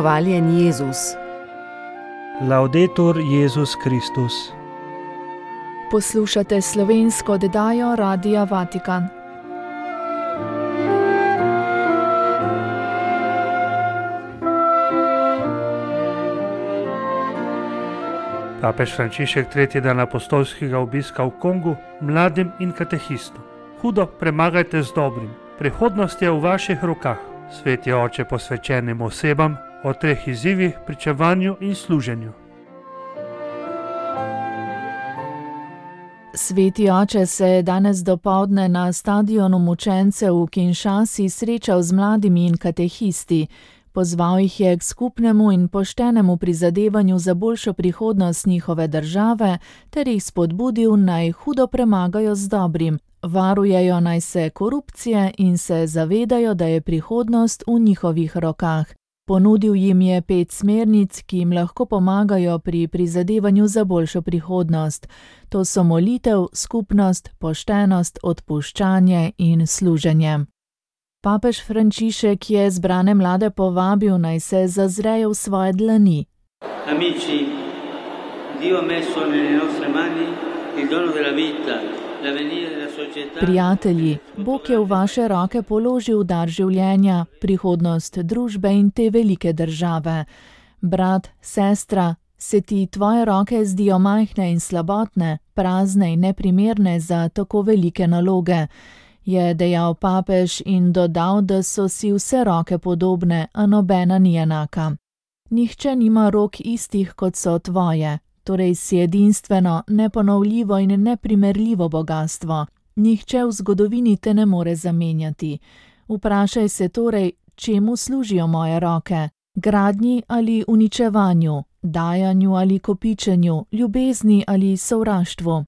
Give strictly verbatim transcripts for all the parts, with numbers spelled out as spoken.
Hvaljen Jezus. Laudetur Jezus Kristus. Poslušate slovensko oddajo Radia Vatikan. Papež Frančišek tretji dan apostolskega obiska v Kongu mladim in katehistom. Hudo premagajte z dobrim. Prihodnost je v vaših rokah. Sveti oče posvečenim osebam o treh izzivih, pričevanju in služenju. Sveti oče se je danes dopoldne na stadionu mučencev v Kinshasi srečal z mladimi in katehisti. Pozval jih je k skupnemu in poštenemu prizadevanju za boljšo prihodnost njihove države ter jih spodbudil, naj hudo premagajo z dobrim, varujejo naj se korupcije in se zavedajo, da je prihodnost v njihovih rokah. Ponudil jim je pet smernic, ki jim lahko pomagajo pri prizadevanju za boljšo prihodnost. To so molitev, skupnost, poštenost, odpuščanje in služenje. Papež Frančišek je zbrane mlade povabil, naj se zazrejo v svoje dlani. Amici, Dio ha messo nelle nostre mani il dono della vita, l'avvenire della società. Prijatelji, Bog je v vaše roke položil dar življenja, prihodnost družbe in te velike države. Brat, sestra, se ti tvoje roke zdijo majhne in slabotne, prazne in neprimerne za tako velike naloge, je dejal papež in dodal, da so si vse roke podobne, a nobena ni enaka. Nihče nima rok istih, kot so tvoje, torej si edinstveno, neponovljivo in neprimerljivo bogastvo. Nihče v zgodovini te ne more zamenjati. Vprašaj se torej, čemu služijo moje roke? Gradnji ali uničevanju, dajanju ali kopičenju, ljubezni ali sovraštvu?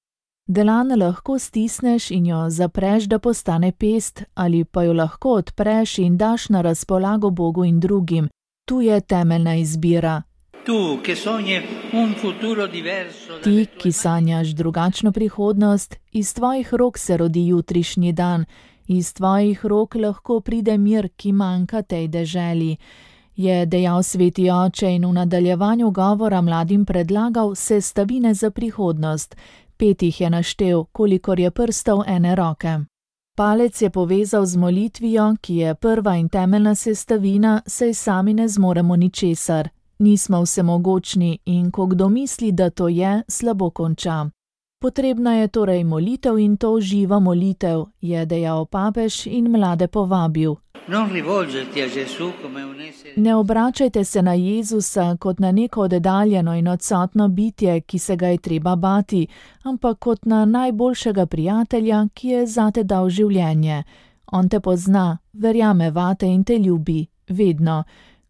Delan lahko stisneš in jo zapreš, da postane pest, ali pa jo lahko odpreš in daš na razpolago Bogu in drugim. Tu je temeljna izbira. Tu, ki sogni un futuro diverso. Ti, ki sanjaš drugačno prihodnost, iz tvojih rok se rodi jutrišnji dan, iz tvojih rok lahko pride mir, ki manjka tej deželi, je dejal sveti oče in v nadaljevanju govora mladim predlagal sestavine za prihodnost. Pet jih je naštel, kolikor je prstov ene roke. Palec je povezal z molitvijo, ki je prva in temeljna sestavina, saj sami ne zmoremo ničesar. Nismo vsemogočni in ko kdo misli, da to je, slabo konča. Potrebna je torej molitev in to živa molitev, je dejal papež in mlade povabil. Ne obračajte se na Jezusa kot na neko oddaljeno in odsotno bitje, ki se ga je treba bati, ampak kot na najboljšega prijatelja, ki je zate dal življenje. On te pozna, verjame vate in te ljubi, vedno.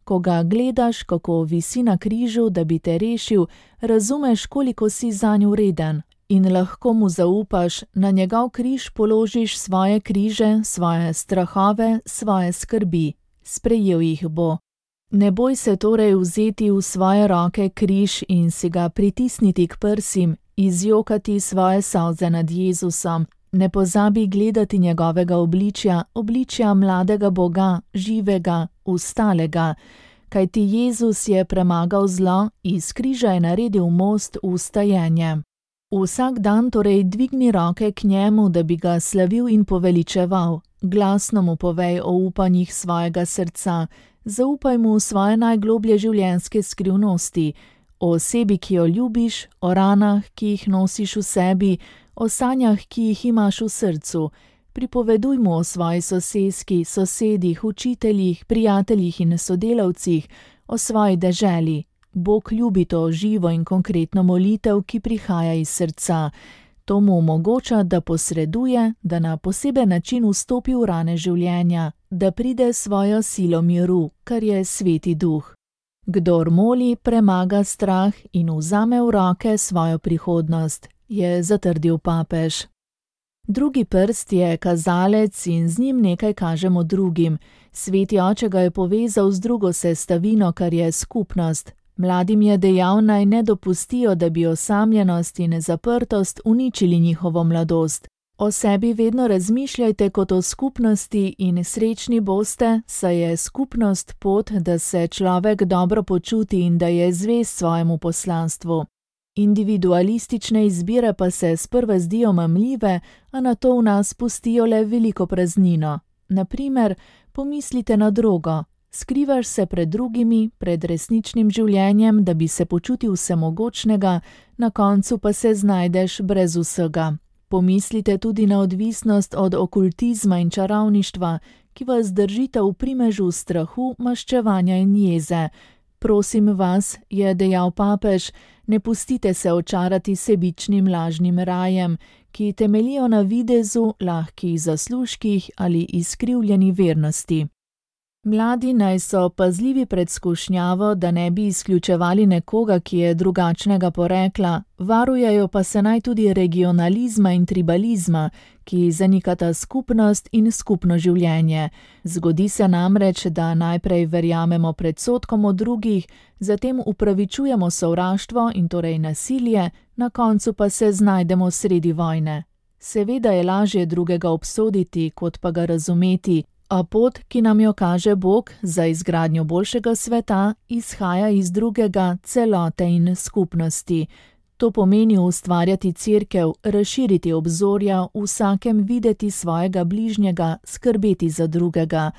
Ko ga gledaš, kako visi na križu, da bi te rešil, razumeš, koliko si zanj vreden. In lahko mu zaupaš, na njegov križ položiš svoje križe, svoje strahove, svoje skrbi. Sprejel jih bo. Ne boj se torej vzeti v svoje roke križ in si ga pritisniti k prsim, izjokati svoje solze nad Jezusom. Ne pozabi gledati njegovega obličja, obličja mladega Boga, živega, ustalega. Kajti Jezus je premagal zlo, iz križa je naredil most v stajenje. Vsak dan torej dvigni roke k njemu, da bi ga slavil in poveličeval. Glasno mu povej o upanjih svojega srca, zaupaj mu svoje najgloblje življenjske skrivnosti, o osebi, ki jo ljubiš, o ranah, ki jih nosiš v sebi, o sanjah, ki jih imaš v srcu. Pripoveduj mu o svoji soseski, sosedih, učiteljih, prijateljih in sodelavcih, o svoji deželi. Bog ljubi to živo in konkretno molitev, ki prihaja iz srca. To mu omogoča, da posreduje, da na poseben način vstopi v rane življenja, da pride svojo silo miru, kar je sveti duh. Kdor moli, premaga strah in vzame v roke svojo prihodnost, je zatrdil papež. Drugi prst je kazalec in z njim nekaj kažemo drugim. Sveti oče ga je povezal z drugo sestavino, kar je skupnost. Mladim je dejal, naj ne dopustijo, da bi osamljenost in zaprtost uničili njihovo mladost. O sebi vedno razmišljajte kot o skupnosti in srečni boste, saj je skupnost pot, da se človek dobro počuti in da je zvest svojemu poslanstvu. Individualistične izbire pa se sprva zdijo mamljive, a nato v nas pustijo le veliko praznino. Naprimer, pomislite na drogo. Skrivaš se pred drugimi, pred resničnim življenjem, da bi se počutil vsemogočnega, na koncu pa se znajdeš brez vsega. Pomislite tudi na odvisnost od okultizma in čarovništva, ki vas držita v primežu strahu, maščevanja in jeze. Prosim vas, je dejal papež, ne pustite se očarati sebičnim lažnim rajem, ki temeljijo na videzu, lahkih zaslužkih ali izkrivljeni vernosti. Mladi naj so pazljivi pred skušnjavo, da ne bi izključevali nekoga, ki je drugačnega porekla, varujejo pa se naj tudi regionalizma in tribalizma, ki zanikata skupnost in skupno življenje. Zgodi se namreč, da najprej verjamemo predsodkom o drugih, zatem upravičujemo sovraštvo in torej nasilje, na koncu pa se znajdemo sredi vojne. Seveda je lažje drugega obsoditi, kot pa ga razumeti, a pot, ki nam jo kaže Bog za izgradnjo boljšega sveta, izhaja iz drugega, celote in skupnosti. To pomeni ustvarjati cerkev, razširiti obzorja, vsakem videti svojega bližnjega, skrbeti za drugega.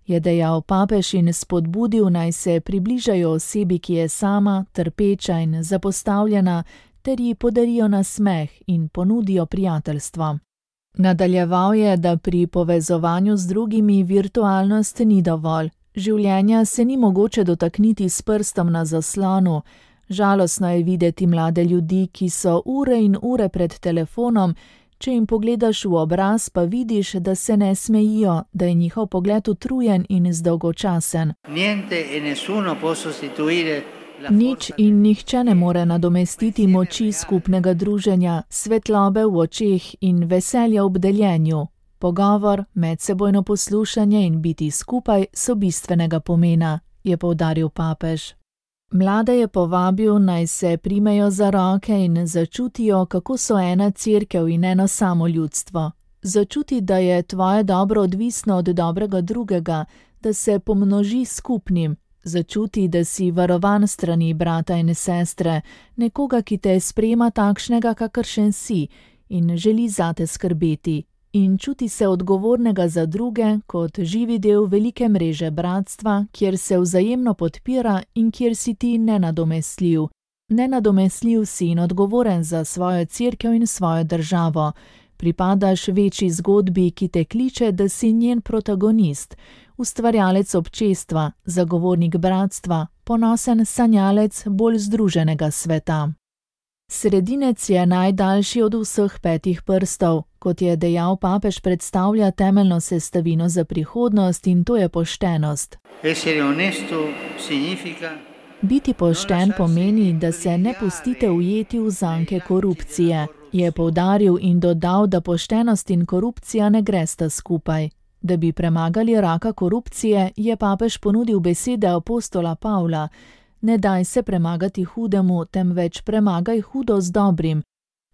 Je dejal papež in spodbudil, naj se približajo osebi, ki je sama, trpeča in zapostavljena, ter ji podarijo nasmeh in ponudijo prijateljstvo. Nadaljeval je, da pri povezovanju z drugimi virtualnost ni dovolj. Življenja se ni mogoče dotakniti s prstom na zaslonu. Žalostno je videti mlade ljudi, ki so ure in ure pred telefonom, če jim pogledaš v obraz, pa vidiš, da se ne smejijo, da je njihov pogled utrujen in zdolgočasen. Nič in nihče ne more nadomestiti moči skupnega druženja, svetlobe v očeh in veselja ob deljenju. Pogovor, medsebojno poslušanje in biti skupaj so bistvenega pomena, je poudaril papež. Mlade je povabil, naj se primejo za roke in začutijo, kako so ena cerkev in eno samo ljudstvo. Začuti, da je tvoje dobro odvisno od dobrega drugega, da se pomnoži skupnim. Začuti, da si varovan strani brata in sestre, nekoga, ki te sprejema takšnega, kakršen si in želi zate skrbeti. In čuti se odgovornega za druge kot živi del velike mreže bratstva, kjer se vzajemno podpira in kjer si ti nenadomestljiv. Nenadomestljiv si in odgovoren za svojo cerkev in svojo državo. Pripadaš večji zgodbi, ki te kliče, da si njen protagonist, ustvarjalec občestva, zagovornik bratstva, ponosen sanjalec bolj združenega sveta. Sredinec je najdaljši od vseh petih prstov. Kot je dejal papež, predstavlja temeljno sestavino za prihodnost in to je poštenost. Biti pošten pomeni, da se ne pustite ujeti v zanke korupcije, je poudaril in dodal, da poštenost in korupcija ne gresta skupaj. Da bi premagali raka korupcije, je papež ponudil besede apostola Pavla: ne daj se premagati hudemu, temveč premagaj hudo z dobrim.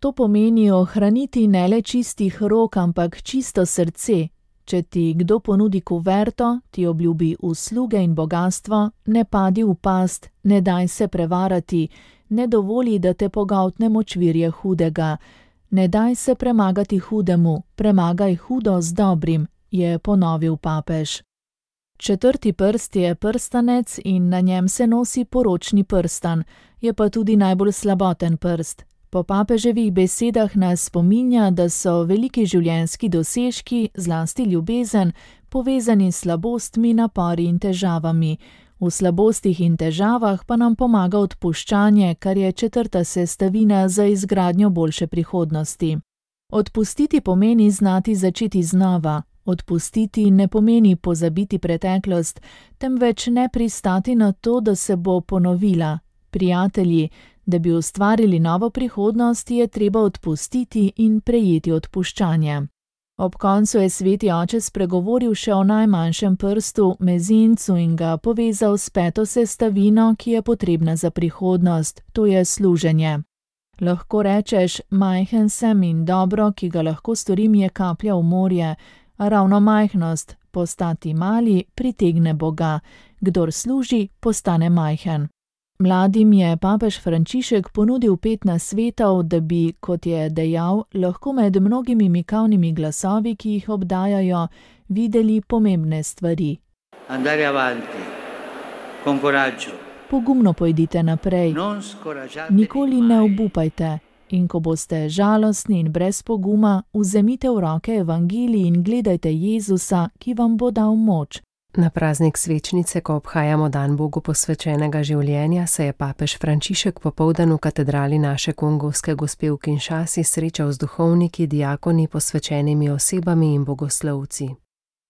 To pomeni ohraniti ne le čistih rok, ampak čisto srce. Če ti kdo ponudi kuverto, ti obljubi usluge in bogastvo, ne padi v past, ne daj se prevarati, ne dovoli, da te pogoltne močvirje hudega. Ne daj se premagati hudemu, premagaj hudo z dobrim, je ponovil papež. Četrti prst je prstanec in na njem se nosi poročni prstan, je pa tudi najbolj slaboten prst. Po papeževih besedah nas spominja, da so veliki življenjski dosežki, zlasti ljubezen, povezani s slabostmi, napori in težavami. V slabostih in težavah pa nam pomaga odpuščanje, kar je četrta sestavina za izgradnjo boljše prihodnosti. Odpustiti pomeni znati začeti znova. Odpustiti ne pomeni pozabiti preteklost, temveč ne pristati na to, da se bo ponovila. Prijatelji, da bi ustvarili novo prihodnost, je treba odpustiti in prejeti odpuščanje. Ob koncu je sveti oče spregovoril še o najmanjšem prstu, mezincu, in ga povezal s peto sestavino, ki je potrebna za prihodnost, to je služenje. Lahko rečeš, majhen sem in dobro, ki ga lahko storim, je kaplja v morje, a ravno majhnost, postati mali, pritegne Boga. Kdor služi, postane majhen. Mladim je papež Frančišek ponudil pet nasvetov, da bi, kot je dejal, lahko med mnogimi mikavnimi glasovi, ki jih obdajajo, videli pomembne stvari. Andare avanti, con coraggio. Pogumno pojdite naprej, nikoli ne obupajte in ko boste žalostni in brez poguma, vzemite v roke evangelij in gledajte Jezusa, ki vam bo dal moč. Na praznik svečnice, ko obhajamo dan Bogu posvečenega življenja, se je papež Frančišek popoldan v katedrali naše kongovske gospe v Kinshasi srečal z duhovniki, diakoni, posvečenimi osebami in bogoslovci.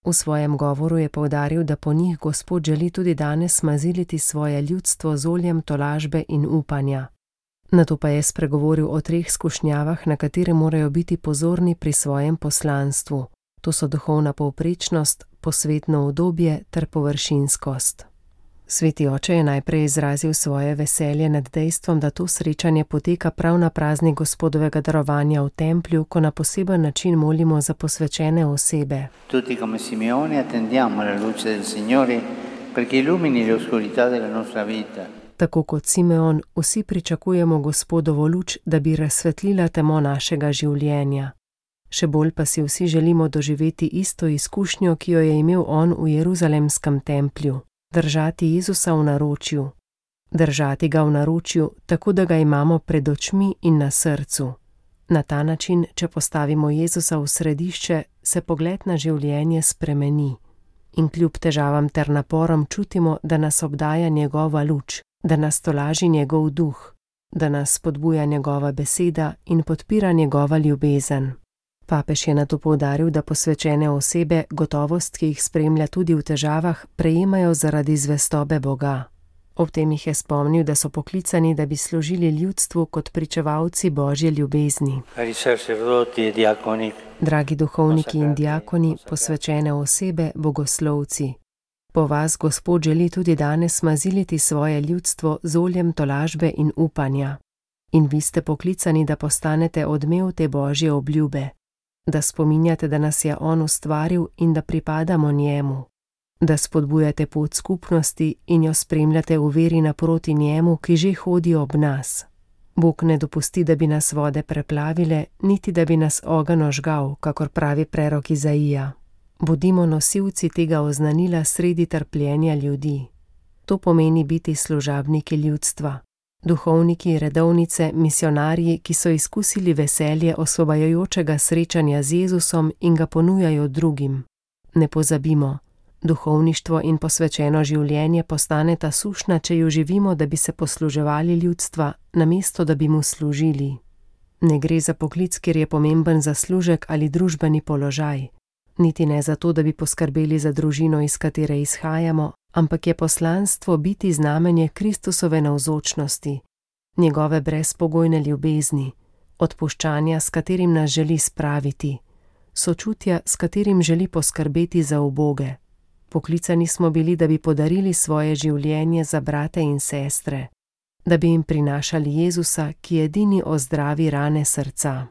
V svojem govoru je poudaril, da po njih Gospod želi tudi danes maziliti svoje ljudstvo z oljem tolažbe in upanja. Nato pa je spregovoril o treh skušnjavah, na katere morajo biti pozorni pri svojem poslanstvu. To so duhovna povprečnost, posvetno udobje ter površinskost. Sveti oče je najprej izrazil svoje veselje nad dejstvom, da to srečanje poteka prav na praznik Gospodovega darovanja v templju, ko na poseben način molimo za posvečene osebe. Tutti come Simeone attendiamo la luce del Signore perché illumini le oscurità della nostra vita. Tako kot Simeon, vsi pričakujemo Gospodovo luč, da bi razsvetlila temo našega življenja. Še bolj pa si vsi želimo doživeti isto izkušnjo, ki jo je imel on v Jeruzalemskem templju. Držati Jezusa v naročju. Držati ga v naročju, tako da ga imamo pred očmi in na srcu. Na ta način, če postavimo Jezusa v središče, se pogled na življenje spremeni. In kljub težavam ter naporom čutimo, da nas obdaja njegova luč, da nas tolaži njegov duh, da nas spodbuja njegova beseda in podpira njegova ljubezen. Papež je nato poudaril, da posvečene osebe gotovost, ki jih spremlja tudi v težavah, prejemajo zaradi zvestobe Boga. Ob tem jih je spomnil, da so poklicani, da bi služili ljudstvu kot pričevalci Božje ljubezni. Dragi duhovniki in diakoni, posvečene osebe, bogoslovci. Po vas Gospod želi tudi danes maziliti svoje ljudstvo z oljem tolažbe in upanja. In vi ste poklicani, da postanete odmev te Božje obljube. Da spominjate, da nas je on ustvaril in da pripadamo njemu. Da spodbujate pot skupnosti in jo spremljate v veri naproti njemu, ki že hodi ob nas. Bog ne dopusti, da bi nas vode preplavile, niti da bi nas ogenj ožgal, kakor pravi prerok Izaija. Bodimo nosilci tega oznanila sredi trpljenja ljudi. To pomeni biti služabniki ljudstva. Duhovniki, redovnice, misionarji, ki so izkusili veselje osvobajajočega srečanja z Jezusom in ga ponujajo drugim. Ne pozabimo, duhovništvo in posvečeno življenje postaneta sušna, če jo živimo, da bi se posluževali ljudstva, namesto da bi mu služili. Ne gre za poklic, kjer je pomemben zaslužek ali družbeni položaj. Niti ne zato, da bi poskrbeli za družino, iz katere izhajamo, ampak je poslanstvo biti znamenje Kristusove navzočnosti, njegove brezpogojne ljubezni, odpuščanja, s katerim nas želi spraviti, sočutja, s katerim želi poskrbeti za uboge. Poklicani smo bili, da bi podarili svoje življenje za brate in sestre, da bi jim prinašali Jezusa, ki edini ozdravi rane srca.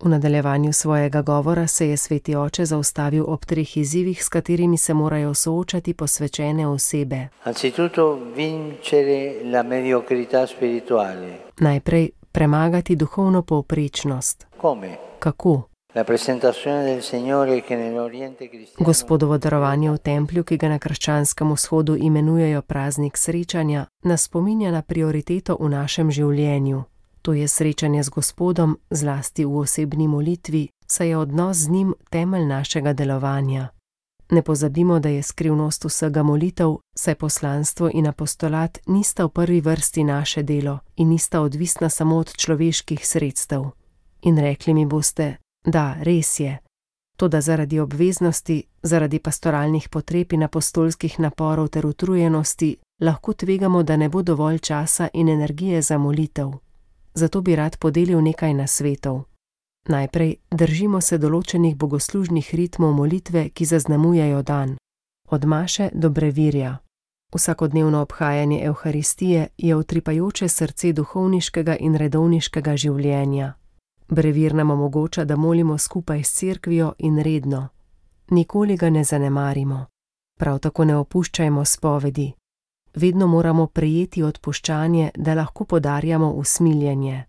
V nadaljevanju svojega govora se je sveti oče zaustavil ob treh izzivih, s katerimi se morajo soočati posvečene osebe. Anzitutto vincere la mediocrità spirituale. Najprej premagati duhovno povprečnost. Come? Kako? La presentazione del Signore che nell'Oriente cristiano. Gospodovo darovanje v templju, ki ga na krščanskem vzhodu imenujejo praznik srečanja, nas spominja na prioriteto v našem življenju. To je srečanje z Gospodom, zlasti v osebni molitvi, saj je odnos z njim temelj našega delovanja. Ne pozabimo, da je skrivnost vsega molitev, saj poslanstvo in apostolat nista v prvi vrsti naše delo in nista odvisna samo od človeških sredstev. In rekli mi boste, da, res je. Toda zaradi obveznosti, zaradi pastoralnih potreb in apostolskih naporov ter utrujenosti, lahko tvegamo, da ne bo dovolj časa in energije za molitev. Zato bi rad podelil nekaj nasvetov. Najprej držimo se določenih bogoslužnih ritmov molitve, ki zaznamujejo dan. Od maše do brevirja. Vsakodnevno obhajanje Evharistije je utripajoče srce duhovniškega in redovniškega življenja. Brevir nam omogoča, da molimo skupaj s cerkvijo in redno. Nikoli ga ne zanemarimo. Prav tako ne opuščajmo spovedi. Vedno moramo prejeti odpuščanje, da lahko podarjamo usmiljenje.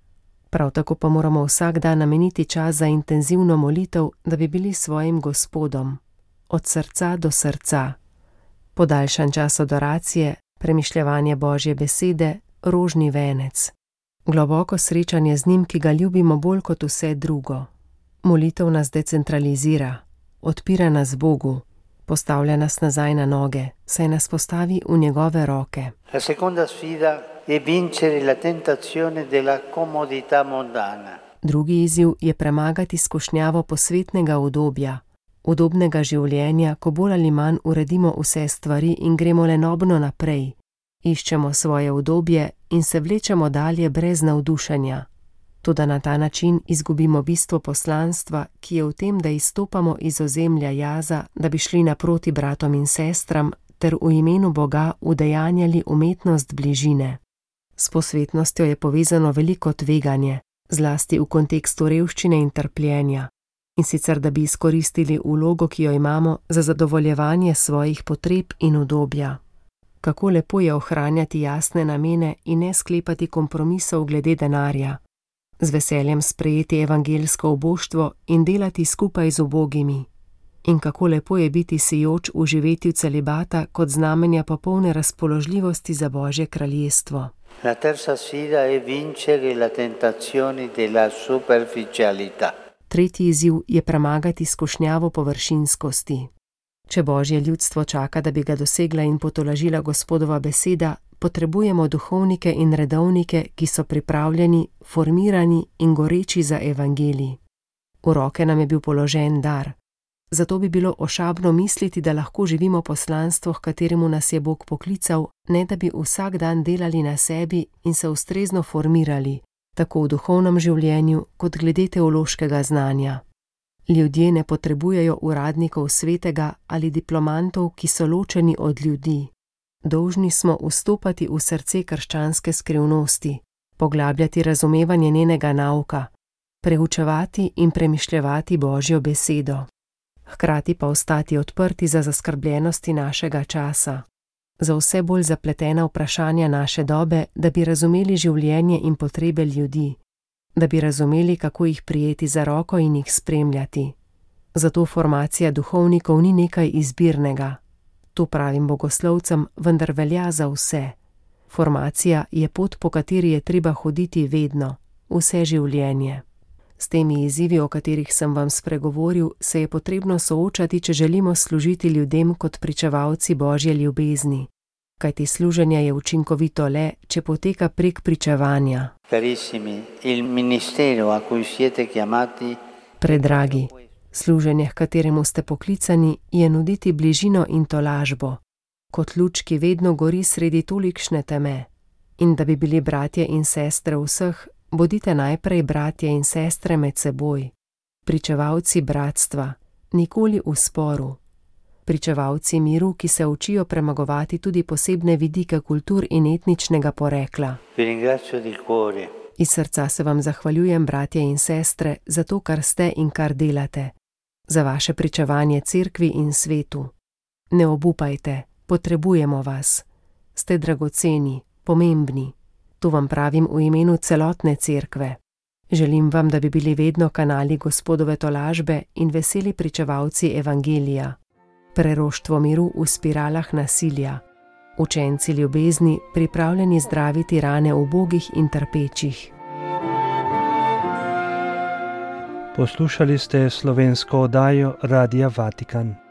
Prav tako pa moramo vsak dan nameniti čas za intenzivno molitev, da bi bili svojim Gospodom. Od srca do srca. Podaljšan čas adoracije, premišljevanje Božje besede, rožni venec. Globoko srečanje z njim, ki ga ljubimo bolj kot vse drugo. Molitev nas decentralizira, odpira nas Bogu, postavlja nas nazaj na noge, saj nas postavi v njegove roke. La seconda sfida è vincere la tentazione della comodità mondana. Drugi izziv je premagati skušnjavo posvetnega udobja, udobnega življenja, ko bolj ali manj uredimo vse stvari in gremo lenobno naprej. Iščemo svoje udobje in se vlečemo dalje brez navdušenja. Toda na ta način izgubimo bistvo poslanstva, ki je v tem, da izstopamo iz ozemlja jaza, da bi šli naproti bratom in sestram, ter v imenu Boga udejanjali umetnost bližine. S posvetnostjo je povezano veliko tveganje, zlasti v kontekstu revščine in trpljenja. In sicer, da bi izkoristili vlogo, ki jo imamo, za zadovoljevanje svojih potreb in udobja. Kako lepo je ohranjati jasne namene in ne sklepati kompromisov glede denarja. Z veseljem sprejeti evangeljsko uboštvo in delati skupaj z ubogimi. In kako lepo je biti sijoč v živetju celibata kot znamenja popolne razpoložljivosti za Božje kraljestvo. La terza sfida è vincere la tentazione della superficialità. Tretji izziv je premagati skušnjavo površinskosti. Če Božje ljudstvo čaka, da bi ga dosegla in potolažila Gospodova beseda, potrebujemo duhovnike in redovnike, ki so pripravljeni, formirani in goreči za evangelij. V roke nam je bil položen dar. Zato bi bilo ošabno misliti, da lahko živimo poslanstvo, h kateremu nas je Bog poklical, ne da bi vsak dan delali na sebi in se ustrezno formirali, tako v duhovnem življenju kot glede teološkega znanja. Ljudje ne potrebujejo uradnikov svetega ali diplomantov, ki so ločeni od ljudi. Dolžni smo vstopati v srce krščanske skrivnosti, poglabljati razumevanje njenega nauka, preučevati in premišljevati Božjo besedo. Hkrati pa ostati odprti za zaskrbljenosti našega časa, za vse bolj zapletena vprašanja naše dobe, da bi razumeli življenje in potrebe ljudi, da bi razumeli, kako jih prijeti za roko in jih spremljati. Zato formacija duhovnikov ni nekaj izbirnega. To pravim bogoslovcem, vendar velja za vse. Formacija je pot, po kateri je treba hoditi vedno, vse življenje. S temi izzivi, o katerih sem vam spregovoril, se je potrebno soočati, če želimo služiti ljudem kot pričevalci Božje ljubezni. Kajti služenje je učinkovito le, če poteka prek pričevanja. Carissimi, il ministero a cui siete chiamati. Predragi, služenje, h kateremu ste poklicani, je nuditi bližino in tolažbo, kot luč, ki vedno gori sredi tolikšne teme. In da bi bili bratje in sestre vseh, bodite najprej bratje in sestre med seboj, pričevalci bratstva, nikoli v sporu. Pričevalci miru, ki se učijo premagovati tudi posebne vidike kultur in etničnega porekla. Iz srca se vam zahvaljujem, bratje in sestre, za to, kar ste in kar delate, za vaše pričevanje cerkvi in svetu. Ne obupajte, potrebujemo vas. Ste dragoceni, pomembni. To vam pravim v imenu celotne cerkve. Želim vam, da bi bili vedno kanali Gospodove tolažbe in veseli pričevalci evangelija. Preroštvo miru v spiralah nasilja. Učenci ljubezni, pripravljeni zdraviti rane ubogih in trpečih. Poslušali ste slovensko oddajo Radia Vatikan.